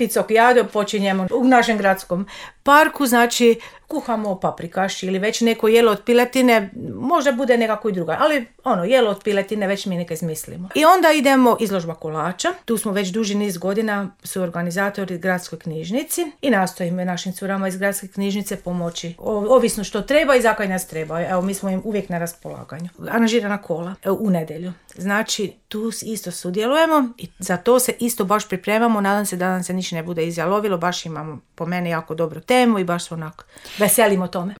picokijado počinjemo u našem gradskom parku, znači kuhamo paprikaš ili već neko jelo od piletine, možda bude nekako i druga, ali jelo od piletine već mi neka izmislimo. I onda idemo izložba kolača, tu smo već duži niz godina su organizatori gradskoj knjižnici i nastojimo našim curama iz gradske knjižnice pomoći, ovisno što treba i za kaj nas treba. Evo, mi smo im uvijek na raspolaganju. Aranžirana kola u nedjelju. Znači, tu isto sudjelujemo i za to se isto baš pripremamo, nadam se da nam se ništa ne bude izjalovilo, baš imamo po meni jako dobru temu i baš onako veselimo tome.